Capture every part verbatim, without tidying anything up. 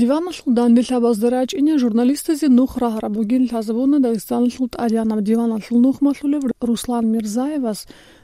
Диваналъул данделъабазда рачӀине журналистазе нух рагьараб бугин лъазабуна Дагъистаналъул тӀадегӀанаб диваналъул нухмалъулев Руслан Мирзаевас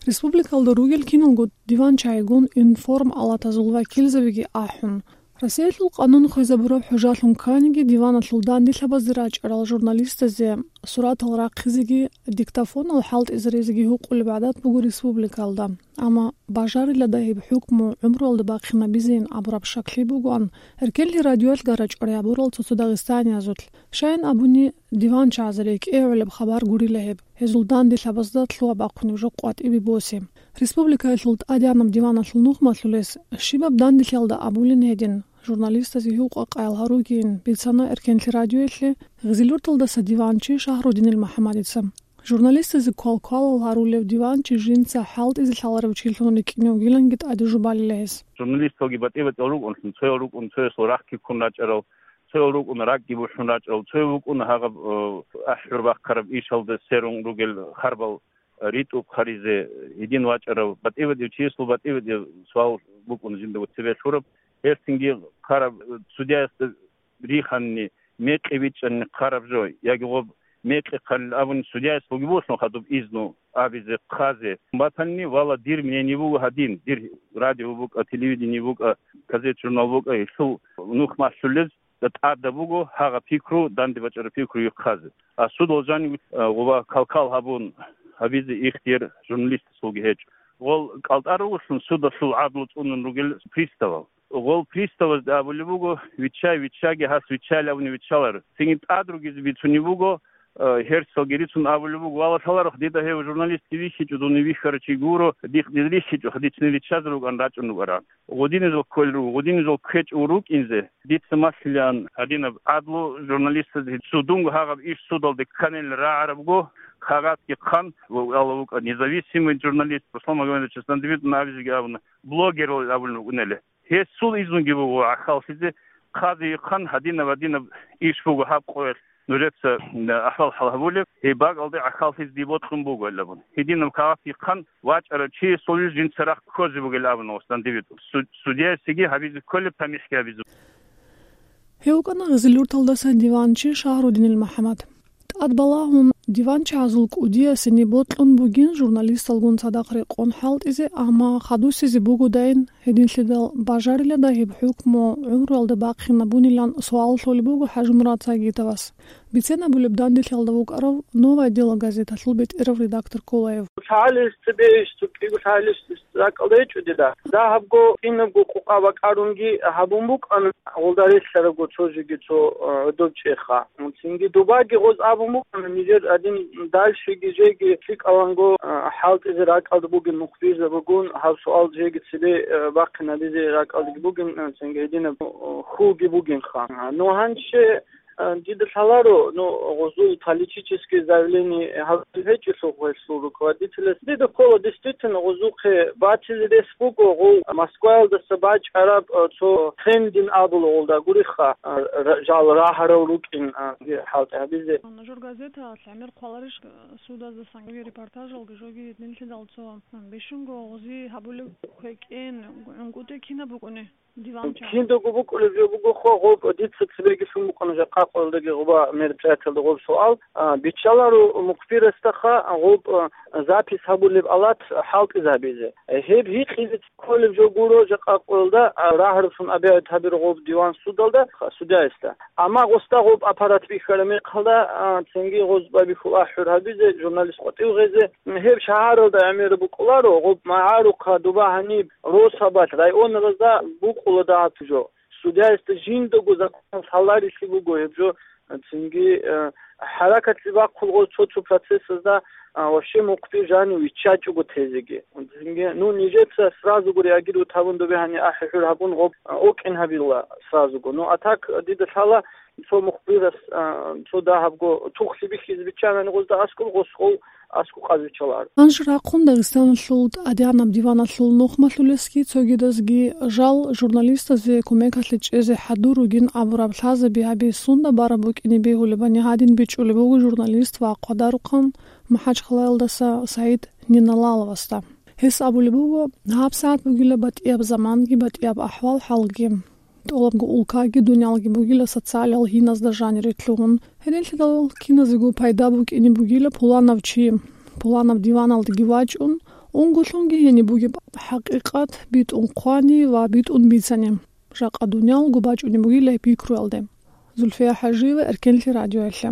республикалда ругел киналго диванчагӀигун информалатазул вакилзабиги ахӀун. Россиялъул къанун хвезабураб хӀужалъун кканиги, диваналъул данделъабазде рачӀарал журналистазе суратал рахъизеги диктофонал хӀалтӀизаризеги гьукъулеб гӀадат буго республикалда. Амма бажарила дагьиб хӀукму гӀумруялда бахъинабизейин абураб шаклъи бугоан, эркенлъи радиоялъ гарачӀварай гьабурал цо-цо дагъистаниязулъ. Щайин абуни, диванчагӀазда рекӀегӀулеб хабар гурила гьеб, гьезул данделъабазда лъугьа-бахъунеб жо къватӀибе босе. Республикаялъул тӀадегӀанаб диваналъул нухмалъулес щибаб данделъиялда абулин гьедин, журналистазе гьукъа-къаял гьаругейин, бицана эркенлъи радиоялъе Гъизилюрталдаса диванчи Шагьрудинил МухӀаммадица. Журналистазе квал-квалал гьарулев диванчи жинца хӀалтӀизе лъаларев чилъун рикӀкӀине вугиланги тӀаде жубалила гьес. Журналисталги батӀи-батӀиял рукӀунлъун, цоял рукӀун цоясул рахъги ккун рачӀарал, цоял рукӀун ракӀги бухӀун рачӀарал, цояв вукӀун гьагъаб, э, ахӀбер бахъараб ишалда сверун ругел харбал, э, ритӀухъаризе гьедин вачӀарав, батӀи-батӀияв чиясул батӀи-батӀияв суал букӀун жинда цебе лъураб. Гьелъинги хъараб, э, судьяясда риханни, мекъи бичӀчӀанни хъараб жо, яги гъоб мекъи хъалил абуни судьяяс бугеб бугелъул хадуб изну абизе, хъазе батанни, вала, дир мнение буго гьадин, дир радио букӀа, телевидение букӀа, газет-журнал букӀа, гьелъул нух малъулез тӀада буго гьагъа пикру, данде бачӀараб пикру хъазе. А судал жанив, а, гъуба кал-кал гьабун гьабизе ихтияр журналистасулги гьечӀо. Гъол кӀалтӀа ругелъун судалъул гӀадлу цӀунун ругел приставал. Гъол приставазда абулеб буго: «Виччай, виччаги, гьас виччайилан абуни виччаларо». Цинги тӀад ругизе бицунеб буго, э, гьерсалги рицун абулеб буго: «Вала, лъаларухъ, дида гьев журналистги вихьичӀо, дун вихьарав чи гуро, дихъ дир рихьичӀо, дицни риччазе рукӀан рачӀун рукӀаран». Гъудинезул кколел руго, гъудинезул ккечӀев рукӀинзе, дица малъилаан гьадинаб гӀадлу журналистазе, цо дунго гьагъаб иш судалде кканил рагӀарабго, кагъатги хъан, ва Аллагь вукӀа независимый журналист Руслан Магомедовичасда дандибитӀун абизеги абуна, блогерал абулин вукӀунели. Гьесул изнуги буго гӀахьаллъизе, хъазе ихъан гьадинаб-гьадинаб иш буго гьаб къоялъ нужеца, м, ахӀвал-хӀал гьабулеб, гьеб бакӀалде гӀахьаллъизе дие бокьун буго, гьел абун. Гьединаб кагъат ихъан вачӀарав чиясул жинца рахъ ккозе бугел абуна, Руслан, дибитӀун. Су-, судьяясеги гьабизе кколеб, тамихӀги гьабизе. Гьев вукӀана Гъизилюрталдаса диванчи Шагьрудинил МухӀаммад. ТӀад балагьун, диванчагӀазул кӀудиясени бокьун бугин журналисталгун цадахъ рекъон хӀалтӀизе, амма хадусизе бугодайин, гьединлъидал бажарила дагьиб хӀукму гӀумруялда бахъинабунилан суал лъолеб буго ХӀажимурад Сагитовас. Бицен абулеб данделъиялда вукӀарав «Новое дело» газеталъул бетӀерав редактор Кулаев. ЛъагӀалилъ цебе иш цо кӀиго лъагӀалилъ ракӀалда гьечӀо дида. Дагьабго, кинабго къукъа бакӀарунги гьабун букӀана, гъолда релълъарабго цо жеги цо, а, гӀодоб чӀеха. Цинги добаги гъоз абун букӀана, нижер гьадин дальшеги жеги лъикӀаланго, а, хӀалтӀизе ракӀалда бугин мухбирзабигун гьаб суал жеги цебе, а, бахъинабизе ракӀалдаги бугин, а, цинги гьединаб, а, хьулги бугинха. А, ну, гьанже, а, дида лъаларо, ну, гъозул политический заявление гьабулеб гьечӀелъул гъолъул руководителяс. Дида ккола, действительно, гъозухъе батил рес буго, гъов Москваялдаса бачӀараб, а, цо трендин абула гъолда гуриха, а, ра-, жал рагьарав рукӀин, а, хӀалтӀи гьабизе. Нужер газеталъ гӀемер хъваларищ, а, судазасан репортажалги жоги нилъидал цо, а, бищунго гъози гьабулеб квекӀен, гӀунгутӀи кинаб букӀуни? Диванча. Киндаго букӀулеб жо буго хо, гъоб дица цебеги лъун букӀана жакъа къоялдаги гъоба мероприятиялда гъоб суал. А, биччаларо мухбирасдаха гъоб, а, запись гьабулеб алат хӀалтӀизабизе. Гьеб гьикъизе кколеб жо гуро жакъа къоялда, а, рагьаралъун абигӀит гьабиро гъоб диван судалда, ха, судьяясда. Амма гъосда гъоб аппарат бихьараб мехалда, а, цинги гъоз байбихьул ахӀур гьабизе, журналист къватӀив гъезе, гьеб шагьаралда гӀемераб букӀуларо, гъоб магӀарухъа доба гьаниб росабалъ районалазда букӀула дагьаб жо. Судьяясда жиндаго законалъ гьаларилъи буго гьеб жо, цинги, э, хӀаракатлъи бахъулго цо-цо процессазда, а, вообще мухъби жанив виччачӀого тезеги. Цинги, ну, нижеца сразуго реагировать гьабун, добе гьаниб ахӀи-хӀур гьабун гъоб, а, окӀин гьабила сразуго. Ну, а так, дида лъала, цо мухбирас, а, цо дагьабго тухлъи бихьизе биччанани гъозда аскӀоб, гъос гъов аскӀоб къазвиччаларо. Гьанже рахъун Дагъистаналъул тӀадегӀанаб диваналъул нухмалъулесги цогидазги жал журналистазе кумекалъе чӀезе хӀадур ругин абураб лъазаби гьаби сунда бараб букӀине бегьулебани гьадин бичӀчӀулеб буго журналист ва хъвадарухъан МахӀачхъалаялдаса СагӀид Ниналаловасда. Гьес абулеб буго, гьабсагӀат бугила батӀияб заманги батӀияб ахӀвал-хӀалги. ТӀолабго улкаги дуниялги бугила социалиял гьиназда жанире лъугьун. Гьединлъидал киназего пайда букӀине бугила пуланав чи, пуланаб диваналдаги вачӀун, унго лъунги гьениб бугеб хӀакъикъат битӀун хъвани ва битӀун бицани. Жакъа дуниялго бачӀунеб бугила гьеб пикруялде. Зульфия ХӀажиева, Эркенлъи радиоялъе.